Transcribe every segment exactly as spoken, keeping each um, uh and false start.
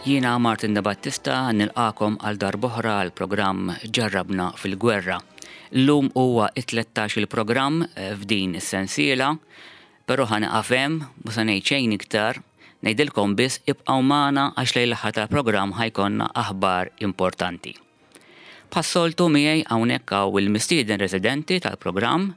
Jiena Martin De Battista, nilqagħkom għal darb'oħra għal programm Ġarrabna fil-Gwerra. Illum huwa it-tlettax il-programm eh, f'din is-sensiela, però ħa nieqaf hemm, mhux se ngħid xejn iktar, ngħidilkom biss ibqgħu magħna għax lejn l-aħħar tal-programm ħa jkollna aħbar importanti. Bħas-soltu, miegħi hawnhekk hawn il-mistieden residenti tal-programm,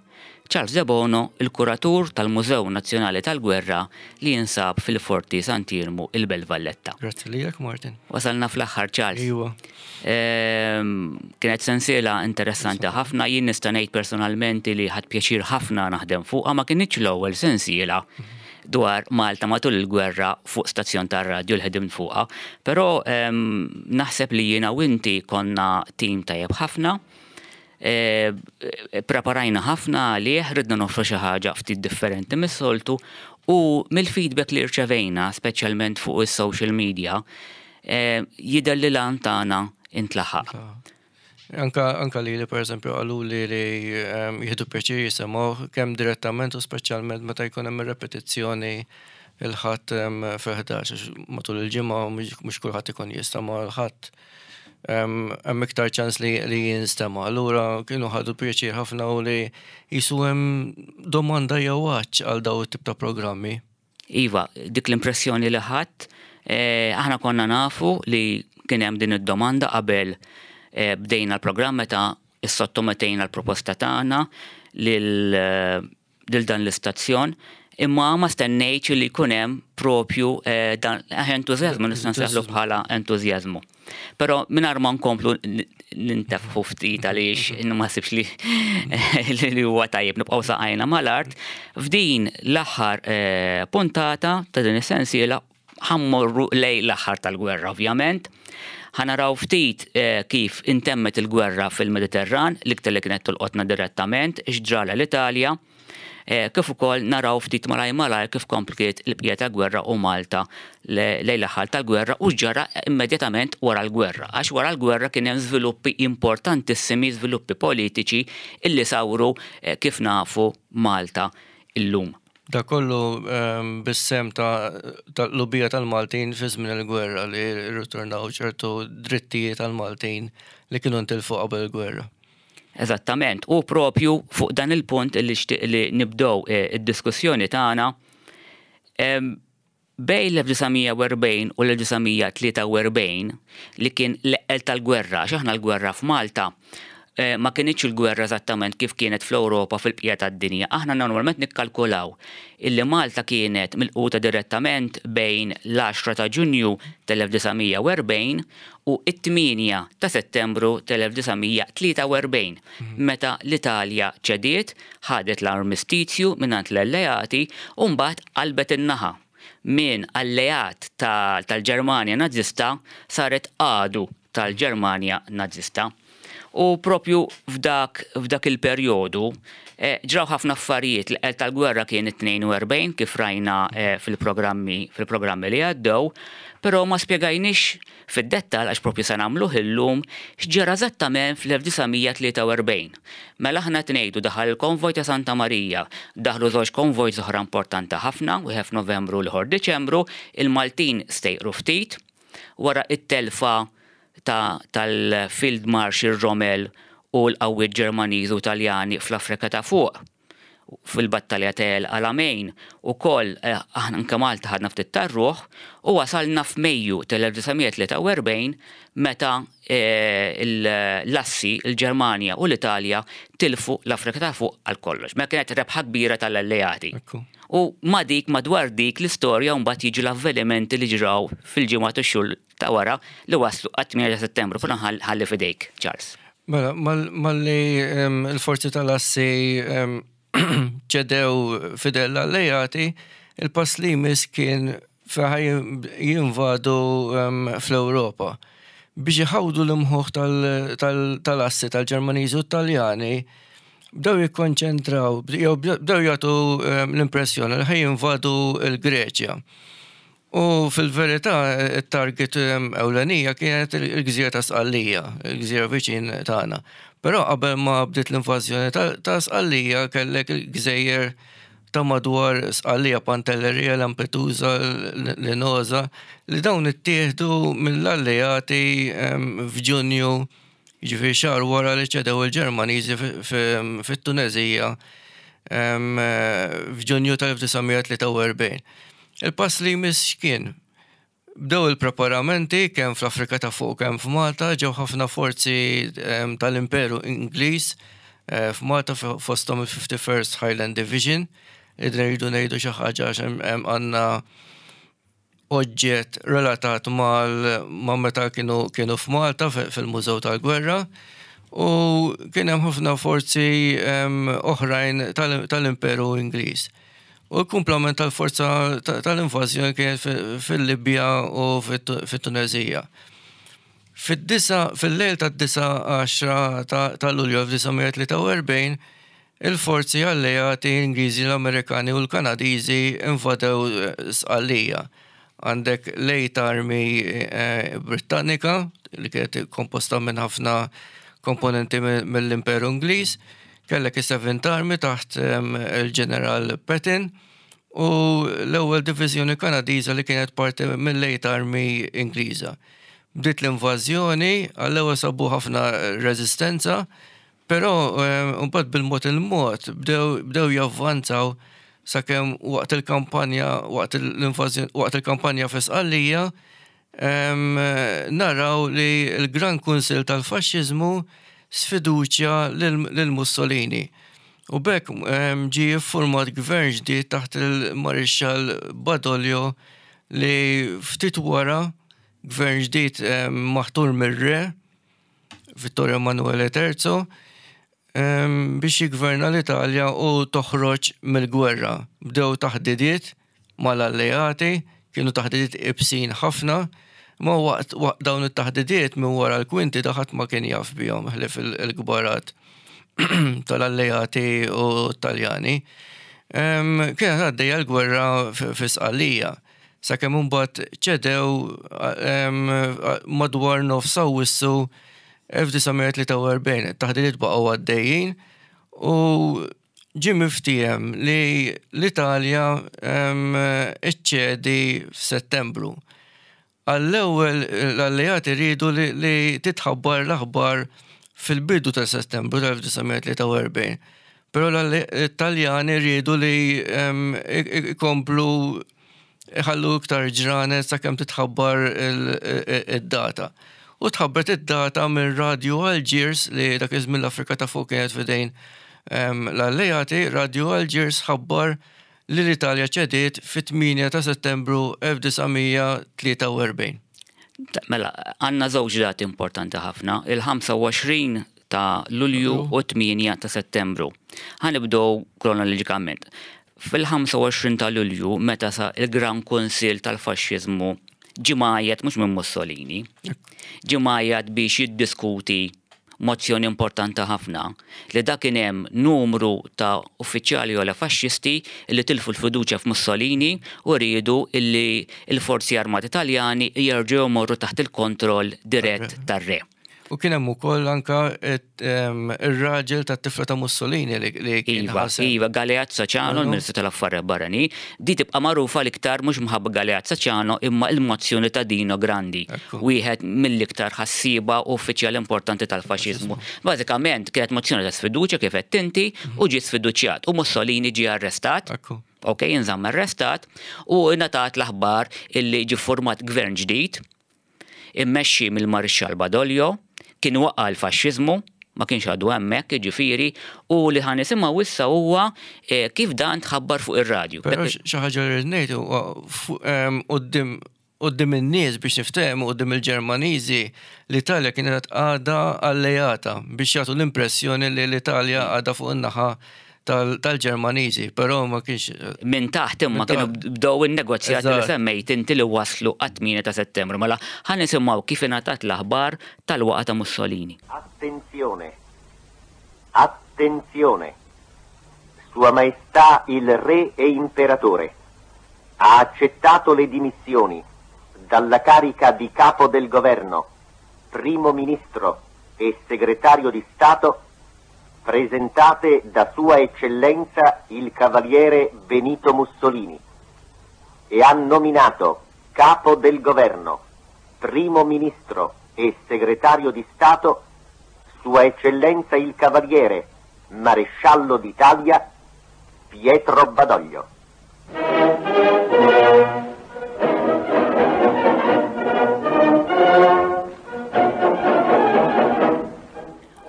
Charles Debono, il-kuratur tal-Mużew Nazzjonali tal-Gwerra li jinsab fil-Forti Sant'Iermu, il-Belt Valletta. Grazzi lilek, Martin. Wasalna fl-aħħar, Charles. Iwa. Ehm, Kienet sensiela interessanti ħafna, jien nista' ngħid personalment li ħadt pjaċir ħafna naħdem fuqha. Ma kinitx l-ewwel sensiela dwar Malta matul il-gwerra fuq stazzjon tar-radju li ħedimt fuqha, però ehm, naħseb li jiena u inti konna tim tajjeb ħafna. E, preparajna ħafna għalih, ridna noffru xi ħaġa ftit differenti mis-soltu u mill-feedback li rċevejna, speċjalment fuq is-social media, e, jidher li l-għan tagħna intlaħaq. Anka, anka li li per eżempju qalu li li um, jieħdu pjaċir jisimgħu kemm direttament u speċjalment meta jkun hemm repetizzjoni il-Ħadd um, fil-ħdax, għax matul il-ġimgħa mhux mhux kulħadd ikun jista', ma l-Ħadd um, hemm iktar ċans li, li jinstema'. Allura kienu ħadu pjaċir ħafna u li qisu hemm domanda jew għatx għal daw it-tip ta' programmi. Iva, dik l-impressjoni li ħadd, eh, aħna konna nafu li kien hemm din id-domanda qabel eh, bdejna l-programm, meta issottomettejna l-proposta tagħna lil eh, lil dan l-istazzjon, imma ma stennejtx li jkun hemm propju eh, dan entużjażmu, nista' nsejħlu bħala entużjażmu. Però mingħajr ma nkomplu nintefħu ftit, għaliex ma nsibx li li huwa tajjeb, nibqgħu saqajna mal-art, f'din l-aħħar eh, puntata ta' din is-sensiela ħa mmorru lejn l-aħħar tal-gwerra, ovvjament. Ħa naraw ftit eh, kif intemmet il-gwerra fil-Mediterran, l-iktar li kienet tolqotna direttament, x'ġrala l-Italja, eh, kif ukoll naraw ftit malaj malaj kif kompliet il-bqija ta' gwerra u Malta lejn l-aħħar tal-gwerra u ġara immedjatament wara l-gwerra. Għax wara l-gwerra kien hemm żviluppi importantissimi, żviluppi politiċi illi sawru eh, kif nafu Malta illum. Da kollu um, bis-sehem ta' tal-lubija tal-Maltin fi żmien il-gwerra li rritornaw ċertu drittijiet tal-Maltin li kienu ntilfu qabel il-gwerra. Eżattament, u propju fuq dan il-punt li xtaqt li nibdew eh, id-diskussjoni tagħna. em, bejn l-elf disa' mija u erbgħin u l-elf disa' mija tlieta u erbgħin, li kien l-eqqel tal-gwerra, għax aħna l-gwerra f'Malta eh, ma kinitx il-gwerra eżattament kif kienet fl-Ewropa, fil-bqija tad-dinja. Aħna normalment nikkalkulaw illi Malta kienet milquta direttament bejn l-għaxra ta' Ġunju tal-elf disa' mija u erbgħin u it-tmienja ta' Settembru tal-elf disa' mija tlieta u erbgħin, meta l-Italja ċediet, ħadet l-armistizju mingħand l-alleati u mbagħad qalbet in-naħa. Min alleat tal-Ġermanja Nazista saret għadu tal-Ġermanja Nazista. U propju f'dak, f'dak il-perjodu eh, ġraw ħafna affarijiet. L tal-gwerra kien it-tnejn u erbgħin, kif rajna eh, fil-programmi fil-programmi li għaddew, però ma spjegajniex fid-dettal, għax propju se nagħmluh illum, x'ġara eżattament fl-elf disa' mija tlieta u erbgħin. Mela aħna ngħidu daħal il-konvoj ta' Santa Marija, daħlu żewġ konvoj oħra importanti ħafna, wieħed f'Novembru u l-ieħor Diċembru, il-Maltin stejqru ftit, wara it-telfa ta' tal-Field Marshal Rommel u l-qawwiet Ġermaniż u Taljani fl-Afrika ta' Fuq fil-battalja ta' El Alamein u koll eh, aħna anke Malta ħadna ftit tar-ruħ, u wasalna f'Mejju tal-elf disa' mija tlieta u erbgħin, meta eh, l-assi, il-Ġermanja u l-Italja, tilfu l-Afrika ta' Fuq għal kollox. Ma kienet rebħa kbira tal-alleati. Ekku. U ma dik madwar dik l-istorja mbagħad jiġu l-avvenimenti li ġraw fil-ġimgħat u x-xhur ta' wara li waslu għat-tmienja ta' Settembru. Però ħalli fidejk, Charles. Mela, mal- malli em, il-forzi tal-assi em, ċedew f'idejn l-alleati, il-pass li jmiss kien fejn jinvadu em, fl-Ewropa. Biex iħawdu l-imħuħ tal- tal- tal-assi tal-Ġermaniżi u Taljani, bdew jikkonċentraw, jew bdew jagħtu em, l-impressjoni li ħa jinvadu l-Greċja. U fil-verità, il-target em, ewlenija kienet il-gżira ta' Sqallija, il-gżira viċin tagħna. Però qabel ma bdiet l-invażjoni ta' ta' Sqallija kellek il-gżejjer ta' madwar Sqallija, Pantelleria, Lampedusa, Linosa, li dawn ittieħdu mill-alleati f'Ġunju, jiġifieri xahar wara li ċedew il-Ġermaniżi fit-Tunezija f'Ġunju tal-elf disa' mija tlieta u erbgħin. Il-pass li jmiss x'kien? Bdew il-preparamenti kemm fl-Afrika ta' Fuq, kemm f'Malta. Ġew ħafna forzi tal-Imperu Ingliż eh, f'Malta, fosthom il-fifty-first Highland Division. Idna rridu ngħidu xi ħaġa għax għandna oġġett relatat ma' meta kienu kienu f'Malta fil-Mużew tal-Gwerra u kien hemm ħafna forzi oħrajn tal-Imperu Ingliż. U l-kumplament tal-forza tal-invażjoni kienet fil-Libja u fit-Tunezija. Fid-disa, fil-lejl tad-disa għaxra ta' Lulju elf disa' mija tlieta u erbgħin, il-forzi alleati Ingliżi, l-Amerikani u l-Kanadiżi invadew Sqallija. Għandek l-Eighth Army eh, Britannika li kienet komposta minn ħafna komponenti mill-Imperu Ingliż, kellek is-Seventh Army taħt il-Ġeneral Patton u l-ewwel diviżjoni Kanadiża li kienet parti mill-Eighth Army Ingliża. Bdiet l-invażjoni, għall-ewwel sabu ħafna reżistenza, però mbagħad bil-mod il-mod bdew javvanzaw sakemm waqt il-kampanja waqt l-invażjoni, waqt il-kampanja fi Sqallija, naraw li l-Gran Kunsil tal-Faxxiżmu sfiduċja lil Mussolini. U b'hekk ġie format gvern ġdid taħt il-Marixxall Badoglio li ftit wara gvern ġdid maħtur mir-re Vittorio Emanuele Terzo biex jigverna l-Italja u toħroġ mill-gwerra. Bdew taħdidiet mal-alleati, kienu taħdidiet iebsin ħafna, ma waqt dawn it-taħdidiet minn wara l-kwinti da ħadd ma kien jaf bihom ħlief il-kbarat tal-alleati u Taljani. Kienet għaddejja l-gwerra fi Sqallija. Sakemm imbagħad ċedew madwar nofs Awwissu elf disa' mija tlieta u erbgħin. Taħdidiet baqgħu għaddejjin u ġie miftiehem li l-Italja iċċedi f'Settembru. Għall-ewwel l-alleati riedu li titħabbar l-aħbar fil-bidu ta' Settembru tal-elf disa' mija tlieta u erbgħin. Però l-Italjani riedu li ikomplu iħallu iktar ġranet sakemm titħabbar id-data. U tħabbret id-data minn Radio Algiers, li dak iż-żmien l-Afrika ta' Fuq kienet f'idejn l-alleati. Radio Algiers ħabbar li l-Italja ċediet fit-tmienja ta' Settembru elf disa' mija tlieta u erbgħin. Mela, għandna żewġ dati importanti ħafna, il-ħamsa u għoxrin ta' Lulju u tmienja ta' Settembru. Ħa nibdew kronoloġikament. Fil-ħamsa u għoxrin ta' Lulju, meta sa il-Gran Kunsil tal-Faxxiżmu ġie mgħajjat mhux minn Mussolini, ġie mgħajjat biex jiddiskuti mozzjoni importanti ħafna li dak kien hemm numru ta' uffiċjali u faxxisti li tilfu l-fiduċja f'Mussolini u riedu illi il-forzi armati Taljani jerġgħu jmorru taħt il-kontroll dirett tar-re. U kien hemm ukoll anka ir-raġel tat-tifla ta' Mussolini li kien Iva, iva, Galeazzo Ciano, il-Ministru tal-Affarijiet Barranin, di tibqa' magħrufa l-iktar mhux minħabba Galeazzo Ciano imma il-mozzjoni ta' Dino Grandi, wieħed mill-iktar ħassiba uffiċjali importanti tal-faxxiżmu. Bażikament kienet mozzjoni ta' sfiduċja, kif qed inti, u ġie sfiduċjat u Mussolini ġie arrestat. Ok, jinżamm arrestat u ngħatat l-aħbar illi ġie format gvern ġdid immexxi mill-Marixxall Badoglio, kien waqa' l-faxxiżmu, ma kienx għadu hemmhekk, ġifieri, u li ħa nisimgħu issa huwa eh, kif dan tħabbar fuq ir-radju. Però xi ħaġa li ngħid huwa quddiem quddiem in-nies biex niftehmu, quddiem il-Ġermaniżi, l-Italja kienet għadha alleata biex jagħtu l-impressjoni li l-Italja għadha fuq in-naħa tal-Ġermaniżi, però ma kienx. Minn taħt imma kienu bdew in-negozjati li semmejt inti li waslu għat-tmienja ta' Settembru. Mela ħa nisimgħu kif ingħatat l-aħbar tal-waqa ta' Mussolini. Attenzione! Attenzione! Sua Maestà il Re e Imperatore ha accettato le dimissioni dalla carica di capo del governo, primo ministro e segretario di Stato presentate da Sua Eccellenza il Cavaliere Benito Mussolini, e ha nominato capo del governo, primo ministro e segretario di Stato Sua Eccellenza il Cavaliere, Maresciallo d'Italia, Pietro Badoglio.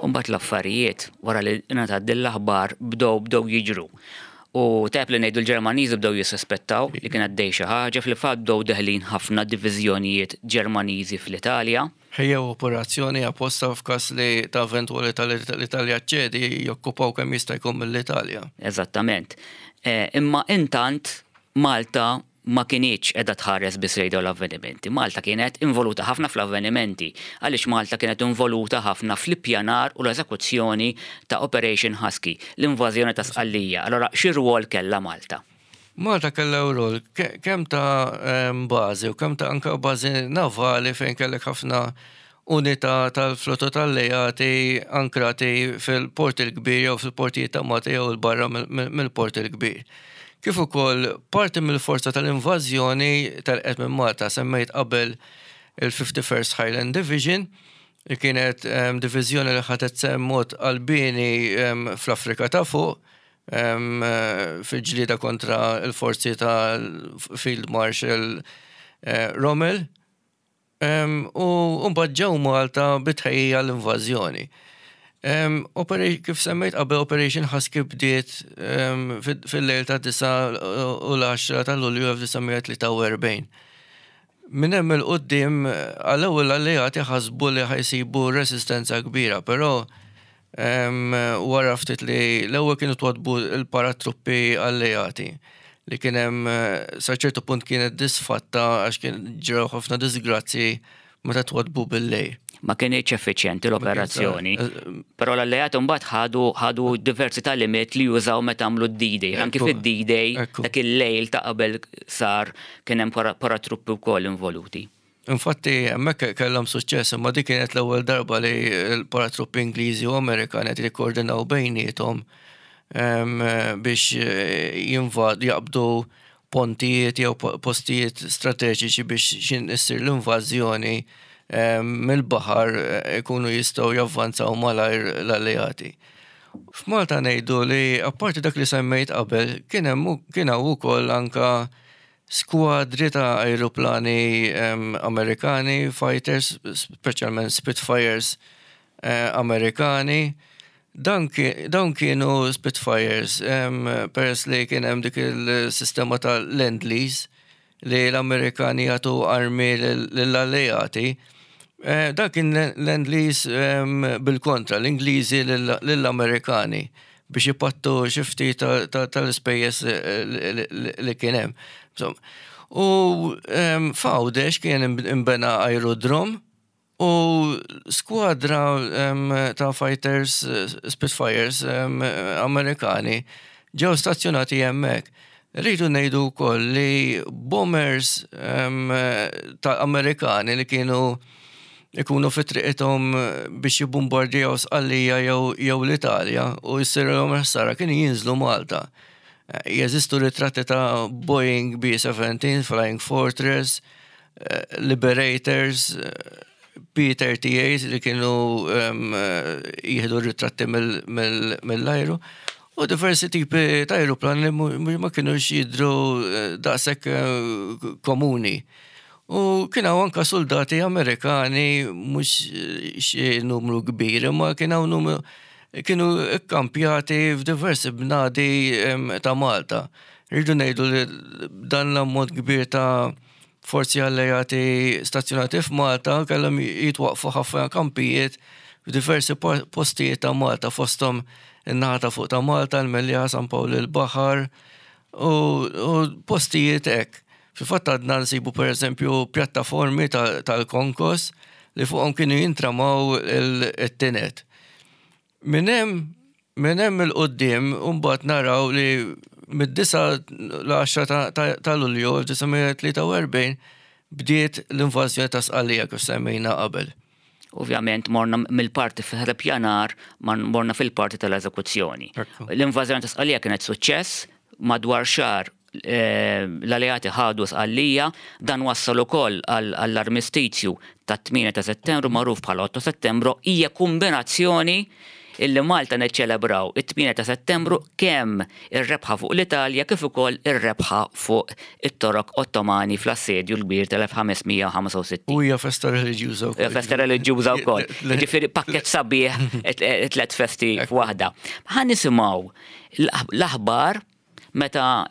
Mbagħad l-affarijiet wara li ngħatat din l-aħbar bdew bdew jiġru. U tajjeb li ngħidu l-Ġermaniżi bdew jissospettaw li kien għaddej xi ħaġa, fil-fatt bdew deħlin ħafna diviżjonijiet Ġermaniżi fl-Italja. Ħejjew operazzjoni apposta f'każ li ta' eventwalità li l-Italja ċedi jokkupaw kemm jista' jkun mill-Italja. Eżattament. Imma intant Malta ma kinitx qiegħda tħares biss lejn dawn l-avvenimenti. Malta kienet involuta ħafna fl-avvenimenti, għaliex Malta kienet involuta ħafna fl-ippjanar u l-eżekuzzjoni ta' Operation Husky, l-invażjoni ta' Sqallija. Allora, xi rwol kellha Malta? Malta kellha rwol kemm ta' bażi u kemm ta' anke bażi navali fejn kellek ħafna unità tal-flotta tal-alleati ankrati fil-Port il-Kbir jew fil-portijiet ta' Malta jew il-barra mill-Port il-Kbir. Kif ukoll parti mill-forza tal-invażjoni telqet minn Malta, semmejt qabel il-fifty-first Highland Division, li kienet diviżjoni li ħadet sehem mod qalbieni fl-Afrika ta' fuq, fil-ġlieda kontra l-forzi tal-Field Marshal Rommel, u mbagħad ġew Malta bitħejja l-invażjoni. Kif semmejt qabel, Operation Husky bdiet fil-lejl ta' disa u l-għaxra ta' Lulju elf disa' mija tlieta u erbgħin. Minn hemm il-qudiem għall-ewwel alleati ħasbu li ħajsibu resistenza kbira, però wara ftit li l-ewwel kienu twadbu l-paratruppi alleati li kien hemm sa ċertu punt kienet disfatta għax kien ġraw ħafna disgrazzi meta twadbu bil-lejl. Ma kienx effiċjenti l-operazzjoni. Però l-alleati mbagħad ħadu, ħadu diversi tagħlimiet li jużaw meta għamlu d-D-Day. Anki fid-D-Day, dak il-lejl ta' qabel sar kien hemm paratruppi wkoll involuti. Infatti hemmhekk kellhom suċċess, imma dik kienet l-ewwel darba li l-paratruppi Ingliżi u Amerikani qed jikkoordinaw bejniethom biex jinvad jaqbdu pontijiet jew postijiet strateġiċi biex xin issir l-invażjoni mill-baħar ikunu jistgħu javvanzaw malajr l-alleati. F'Malta ngħidu li apparti dak li semmejt qabel kien hemm kien hawn ukoll anka skwadri ta' ajruplani Amerikani, fighters, speċjalment Spitfires Amerikani. Dawn kienu Spitfires peress li kien hemm dik il-sistema ta' Lend-Lease li l-Amerikani jagħtu armi lill-alleati. Dak kien Lend-Lease bil-kontra, l-Ingliżi lill-Amerikani biex jipattu xi ftit tal-ispejjeż li kien hemm. U f'Għawdex kien imbena aerodrom u skwadra ta' fighters, Spitfires Amerikani ġew stazzjonati hemmhekk. Rridu ngħidu wkoll li bombers ta' Amerikani li kienu ikunu fi triqithom biex jibbombardjaw Sqallija jew l-Italja u jsirilhom ħsara kienu jinżlu Malta. Jeżistu ritratti ta' Boeing B seventeen, Flying Fortress, Liberators, P thirty-eight li kienu jieħdu ritratti mill-ajru. U diversi tipi ta' aeroplani li ma kienux jidhru daqshekk komuni. U kien hawn anke soldati Amerikani, mhux xi numru kbir, imma kien hawn numru kienu kkampjati f'diversi bnadi ta' Malta. Rridu ngħidu li dan l-ammont kbir ta' forzi alleati stazzjonati f'Malta kellhom jitwaqfu ħafna kampijiet f'diversi postijiet ta' Malta, fosthom in-naħa ta' fuq ta' Malta, l-Mellieħa, San Pawl il-Baħar u postijiet hekk. Fil-fatt għadna nsibu pereżempju pjattaformi tal-konkos li fuqhom kienu jintramaw it-tinet. Minn hemm minn hemm il-qudiem mbagħad naraw li mid-disa l-għaxra ta' Lulju elf disa' mija tlieta u erbgħin bdiet l-invażjoni ta' Sqallija kif semmejna qabel. Ovvjament morna mill-parti fil-pjanar, morna fil-parti tal-eżekuzzjoni. L-invażjoni ta' Sqallija kienet suċċess, madwar xahar l-alleati ħadu Sqallija, dan wassal ukoll għall-armistizju ta' tmienja ta' Settembru magħruf bħala otto Settembru, hija kombinazzjoni illi Malta neċċelebraw it-tmienja ta' Settembru kemm ir-rebħa fuq l-Italja kif ukoll ir-rebħa fuq it-Torok Ottomani fl-assedju l-kbir tal-elf ħames mija u ħamsa u sittin. U hija festa reliġjuża wkoll. Hija festa reliġjuża wkoll. Ġifieri pakkett sabiħ tliet festi f'waħda. Ħa nisimgħu l-aħbar meta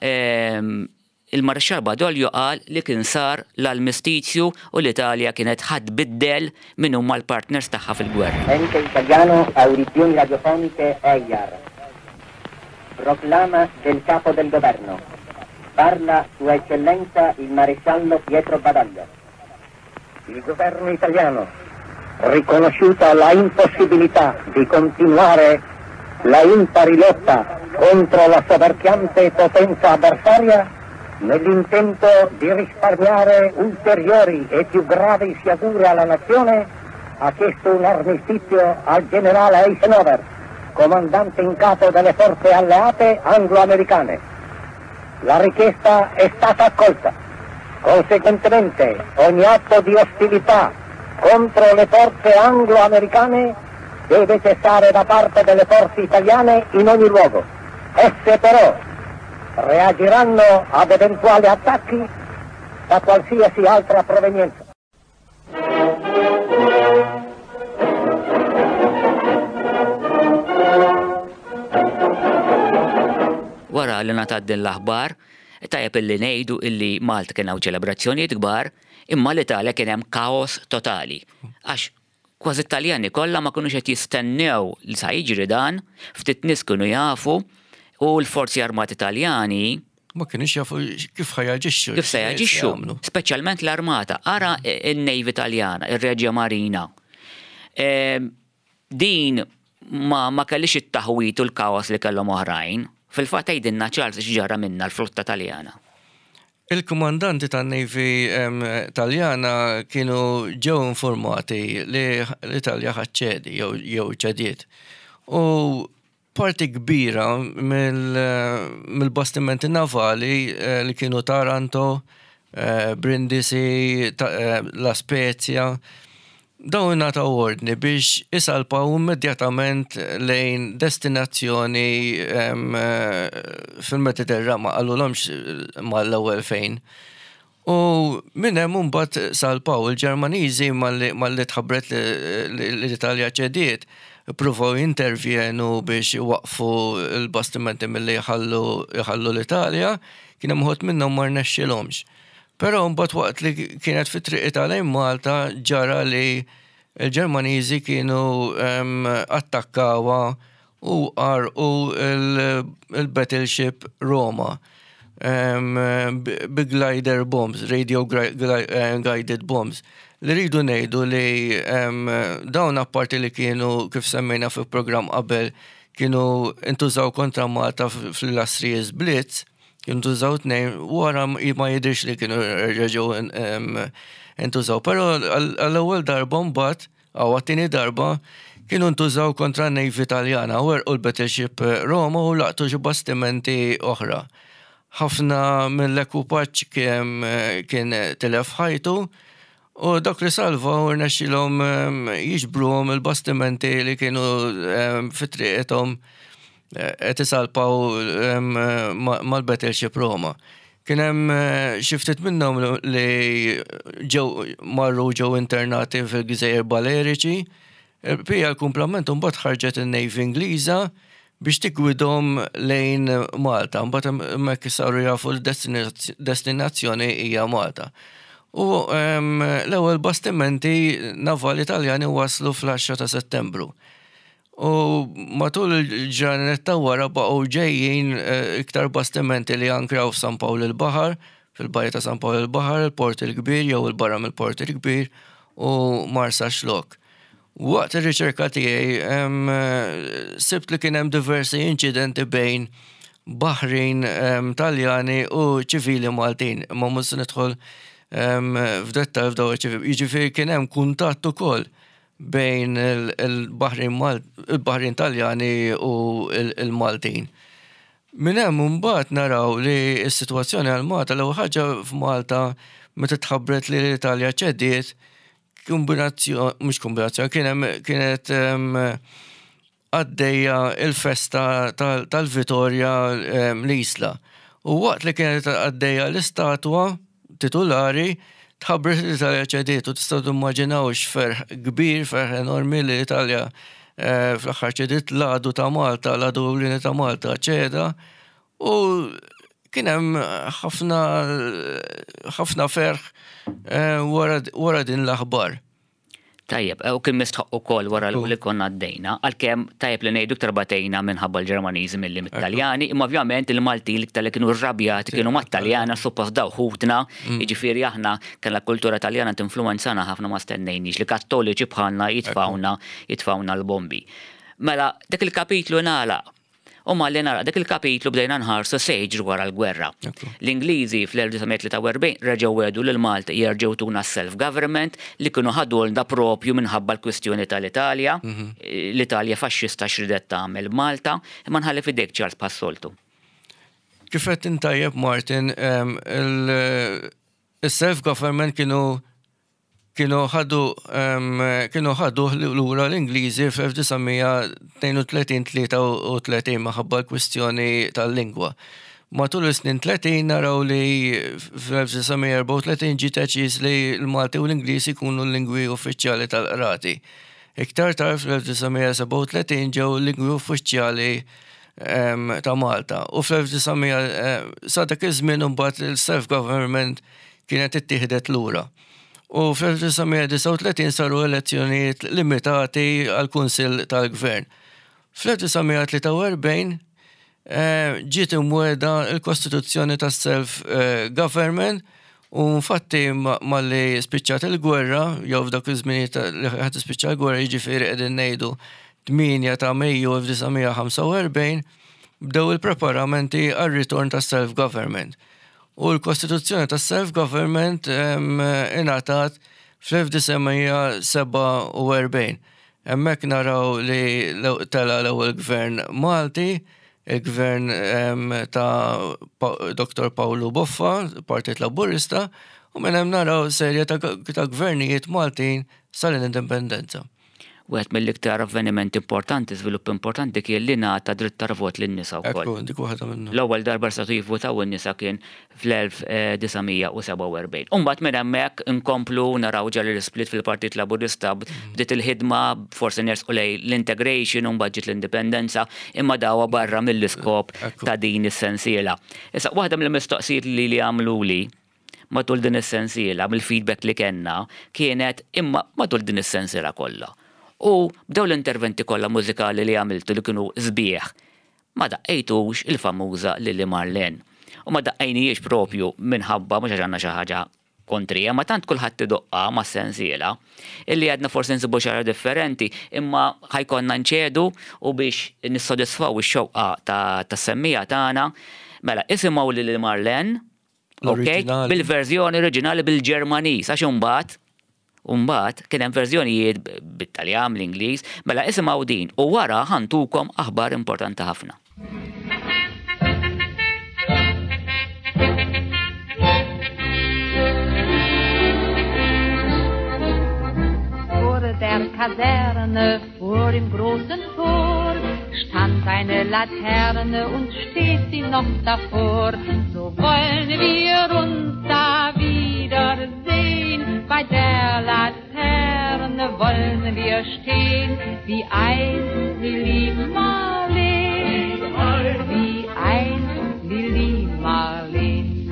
il-Marixxall Badoglio qal li kien sar l-armistizju u l-Italja kienet ħadd biddel min huma l-partners tagħha fil-gwerra. Ente Italiano Audizioni Radiofoniche E I A R. Proclama del capo del governo. Parla Sua Eccellenza il Maresciallo Pietro Badoglio. Il governo italiano, riconosciuta la impossibilità di continuare la impari lotta contro la soverchiante potenza avversaria, nell'intento di risparmiare ulteriori e più gravi sciagure alla nazione, ha chiesto un armistizio al generale Eisenhower, comandante in capo delle forze alleate anglo-americane. La richiesta è stata accolta. Conseguentemente, ogni atto di ostilità contro le forze anglo-americane deve cessare da parte delle forze italiane in ogni luogo. Esse però reagiranno ad eventuali attacchi da qualsiasi altra provenienza. Wara li ngħatat din l-aħbar, tajjeb illi ngħidu illi Malta kien hawn ċelebrazzjonijiet kbar, imma l-Italja kien hemm kaos totali. Għax kważi Taljani kollha ma kinux qed jistennew li sa jiġri dan, ftit nies kienu jafu, u l-forzi armati Taljani ma kienux jafu kif ħajaġixxu. Kif se jaġixxu, Jagħmlu. speċjalment l-armata. Ara in-Navy Taljana, ir-Regia Marina. Ehm, din ma, ma kellix it-taħwit u l-kaos li kellhom oħrajn. Fil-fatt għidilna Charles x'ġara minna l-flotta Taljana. Il-komandanti tan-Navy, em, Taljana kienu ġew informati li l-Italja ħaċċedi jew, jew ċediet. U parti kbira mill-, mill-bastimenti navali, eh, li kienu Taranto, eh, Brindisi, ta-, eh, La Spezia, dawn ingħataw ordni biex isalpaw immedjatament lejn destinazzjoni, em, eh, fil-Mediterran, ma qalulhomx mal-ewwel fejn. U minn hemm imbagħad salpaw il-Ġermaniżi malli, malli tħabbret li, li l-Italja ċediet, ippruvaw jintervjenu biex iwaqfu l-bastimenti milli jħallu, jħallu l-Italja, kien hemm uħud minnhom ma rnexxilhomx. Però mbagħad waqt li kienet fi triq lejn Malta ġara li l-Ġermaniżi kienu, em, attakkawha u għarqu il-, il-battleship Roma, em, bi glider bombs, radio gri-, gli-, eh, guided bombs. Li rridu ngħidu li, em, dawn apparti li kienu, kif semmejna fi programm qabel, kienu intużaw kontra Malta f-, fl-Illustrious Blitz, kienu ntużaw tnejn, wara m-, ma jidhirx li kienu reġgħu en-, em, intużaw. Però għal-, għall-ewwel darba mbagħad, għaw għat-tieni darba, kienu ntużaw kontra Navy Taljana, u għerqu l-battleship Roma u laqtu xi bastimenti oħra. Ħafna mill-ekwipaġġ kien, kien tilef ħajtu, u dak li salvaw rnexxilhom, em, jiġbruhom il-bastimenti li kienu, em, fi triqithom, eh, qed isalpaw, em, ma-, mal-battleship Roma. Kien hemm, eh, xi ftit minnhom li ġew marru ġew internati fil-Gżejjer Baleriċi. Pija l-kumplament mbagħad ħarġet in-Navy Ingliża biex tigwidhom lejn Malta. Mbagħad hemmhekk saru jafu l-destinazzjoni hija Malta. U, em, l-ewwel bastimenti navali Taljani waslu fl-għaxra ta' Settembru. U matul il-ġranet ta' wara baqgħu ġejjin, eh, iktar bastimenti li ankraw f'San Pawl il-Baħar, fil-bajja ta' San Pawl il-Baħar, il-Port il-Kbir jew il-barra mill-Port il-Kbir u Marsaxlokk. Waqt ir-riċerka tiegħi, em, sibt li kien hemm diversi inċidenti bejn baħrin, em, Taljani u ċivili Maltin. Ma mhux se nidħol, em, f'dettall f'dawn iċ-ċivili. Jiġifieri kien hemm kuntatt ukoll bejn il-Baħrin Taljani u il-Maltin. Minn hemm imbagħad naraw li s-sitwazzjoni għal Malta, l-ewwel ħaġa f'Malta meta tħabbret li l-Italja ċediet, kombinazzjoni, mhux kombinazzjoni, kien hemm kienet għaddejja il-festa tal-Vitorja l-Isla. U waqt li kienet għaddejja l-istatwa titulari, tħabbret l-Italja ċediet u tistgħu timmaġinaw x'ferħ kbir, ferħ enormi li l-Italja fl-aħħar ċediet l-għadu ta' Malta, l-għadu ewlieni ta' Malta ċeda, u kien hemm ħafna ħafna ferħ wara din l-aħbar. Tajjeb, u kien mistħoq ukoll wara li konna għaddejna, għalkemm tajjeb li ngħidu iktar batejna minħabba l-Ġermaniżi milli mit-Taljani, imma ovvjament il-Malti l-iktar li kienu rrabjati kienu mat-Taljana, suppost daw ħutna, jiġifieri aħna kellna kultura Taljana tinfluwenzana ħafna, ma stennejniex li kattoliċi bħalna jitfawna jitfawna l-bombi. Mela, dak il-kapitlu nagħlaq. U malli nara dak il-kapitlu bdejna nħarsu se jiġri wara l-gwerra. L-Ingliżi fl-elf disa' mija tlieta u erbgħin reġgħu wedu lil Malta jerġgħu tuna self-government li kienu ħadulna propju minħabba l-kwistjoni tal-Italja, l-Italja faxxista x'ridet tagħmel Malta, imma nħalli f'idejk Charles bħas-soltu. Kif qed intajjeb Martin, il-self-government kienu kienu ħadu kienu ħadu lura l-Ingliżi fl-elf disa' mija tnejn u tletin, tlieta u tletin minħabba l-kwistjoni tal-lingwa. Matul is-snin tletin naraw li fl-elf disa' mija erbgħa u tletin ġie deċiż li l-Malti u l-Ingliż ikunu l-lingwi uffiċjali tal-qrati. Iktar tard fl-elf disa' mija sebgħa u tletin ġew l-lingwi uffiċjali ta' Malta. U fl-elf disa' mija sa dak iż-żmien imbagħad il-self-government kienet ittieħdet lura. U fl-elf disa' mija disgħa u tletin saru elezzjonijiet limitati għal-Kunsill tal-Gvern. Fl-elf disa' mija tlieta u erbgħin ġiet imweda l-Kostituzzjoni tas-self-government u infatti malli spiċċat il-gwerra, jew f'dak iż-żmien li ħadd tispiċċa l-gwerra, jiġifieri qegħdin ngħidu tmienja ta' Mejju elf disa' mija ħamsa u erbgħin, bdew il-preparamenti għar-ritorn tas-self-government. U l-Kostituzzjoni tas-self-government ingħatat fl-elf disa' mija sebgħa u erbgħin. Hemmhekk naraw li tela l-ewwel gvern Malti, il-gvern ta' Doktor Pawlu Boffa, Partit Laburista, u minn hemm naraw serje ta' gvernijiet Maltin sal-indipendenza. Wieħed mill-iktar avvenimenti importanti, żvilupp importanti kien li ngħata dritt tal-vot lin-nisa wkoll. Ekku, dik waħda minnhom. L-ewwel darba setgħu jivvutaw in-nisa kien fl-elf disa' mija u sebgħa u erbgħin. U mbagħad minn hemmhekk inkomplu naraw ġara l-split fil-Partit Laburista, bdiet il-ħidma forsi nersqu lejn l-integration u mbagħad ġiet l-indipendenza, imma dawa barra mill-iskop ta' din is-sensiela. Issa waħda mill-mistoqsijiet li li għamluli matul din is-sensiela, mill-feedback li kellna, kienet imma matul din is-sensiela kollha. U bdew l-interventi kollha mużikali li għamiltu li kienu sbieħ, ma daqqejtux il-famuża Lili Marlene. U ma daqqejnijiex propju minħabba mhux għax għandna xi ħaġa kontrija, ma tant kulħadd idoqqa ma' sensiela, illi għadna forsi nsibu xi ħaġa differenti, imma ħajkonna nċedu u biex nissodisfaw ix-xewqa ta' semmija tagħna. Mela, isimgħu Lili Marlene, ok? L-oriġinali. Bil-verżjoni oriġinali bil-Ġermaniż, għax imbagħad Umbat, kien hemm verżjonijiet bit-Taljan, bl-Ingliż, mela isimgħu din u wara ħantukom aħbar importanti ħafna. Vor der Kaserne, vor dem großen Tor, stand eine Laterne und steht sie noch davor. So wollen wir uns da wiedersehen, bei der Laterne wollen wir stehen, wie einst Lili Marleen, wie einst Lili Marleen.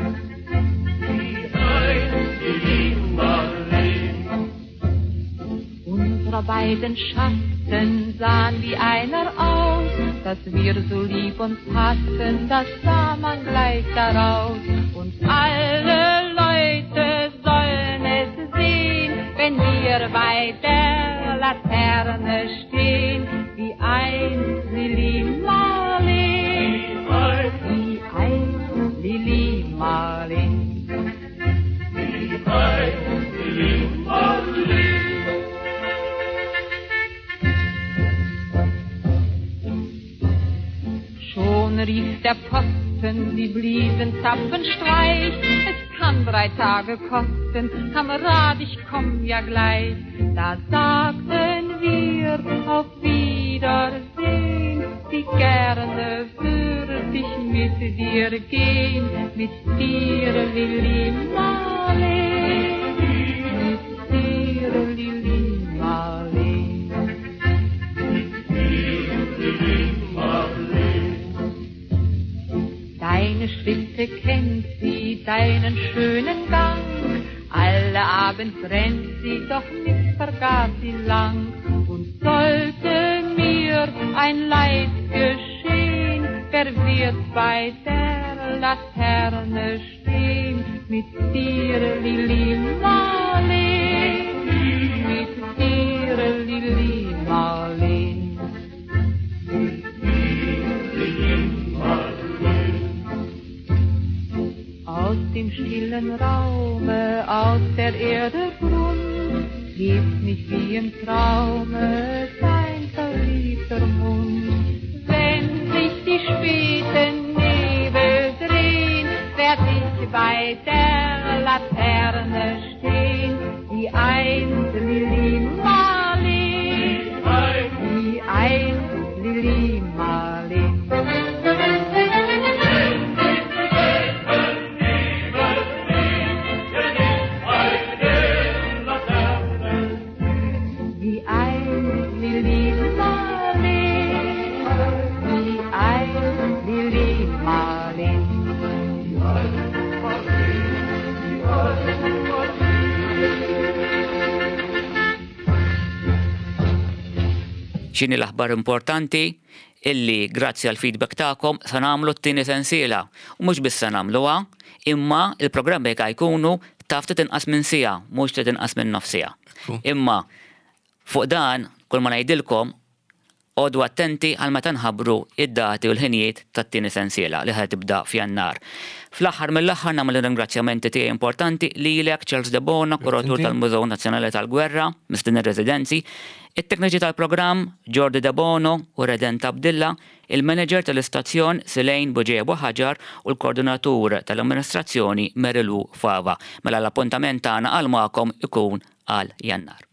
Unsere beiden Schatten sahen wie einer aus, dass wir so lieb uns hatten, das sah man gleich daraus. Und alle Leute sollen es sehen, wenn wir bei der Laterne stehen, wie einst Lili Marleen, wie einst Lili Marleen. Wie einst Lili Marleen. Der Posten, sie bliesen Zapfenstreich. Es kann drei Tage kosten, Kamerad, ich komm ja gleich. Da sagten wir auf Wiedersehen, wie gerne würd ich mit dir gehen, mit dir, Lili Marleen, mit dir, Lili Marleen. Deine Schritte kennt sie, deinen schönen Gang, alle Abend brennt sie, doch mich vergaß sie lang. Und sollte mir ein Leid geschehen, wer wird bei der Laterne stehen? Mit dir, Lili Marleen, mit dir, Lili Marleen. Aus dem stillen Raume, aus der Erde Grund, hebt mich wie im Traume dein verliebter Mund. Wenn sich die späten Nebel drehen, werd ich bei der Laterne stehen, wie einst Lili Marleen, wie einst Lili Marleen. Wie einst Lili Marleen, wie einst Lili Marleen. X'inhi l-aħbar importanti illi grazzi għal feedback tagħkom sa nagħmlu t-tieni sensiela. U mhux biss sa nagħmluha, imma il-programmi jekk jkunu taf ftit inqas minn siegħa, mhux ftit inqas minn nofs siegħa. Imma fuq dan, kull ma ngħidilkom, għodu attenti għal meta nħabbru id-dati u l-ħinijiet tat-tieni sensiela li ħa tibda f'Jannar. Fl-aħħar mill-aħħar nagħmel ringrazzjamenti tiegħi importanti lilek Charles Debono, kuratur Inti. tal-Mużew Nazzjonali tal-Gwerra, mistieden residenzi, it-tekniċi tal-programm Jordi Debono u Redent Abdilla, il-manager tal-istazzjon Silejn Buġeja Ħaġar u l-koordinatur tal-amministrazzjoni Merilu Fava. Mela l-appuntament tagħna għal magħkom ikun għal Jannar.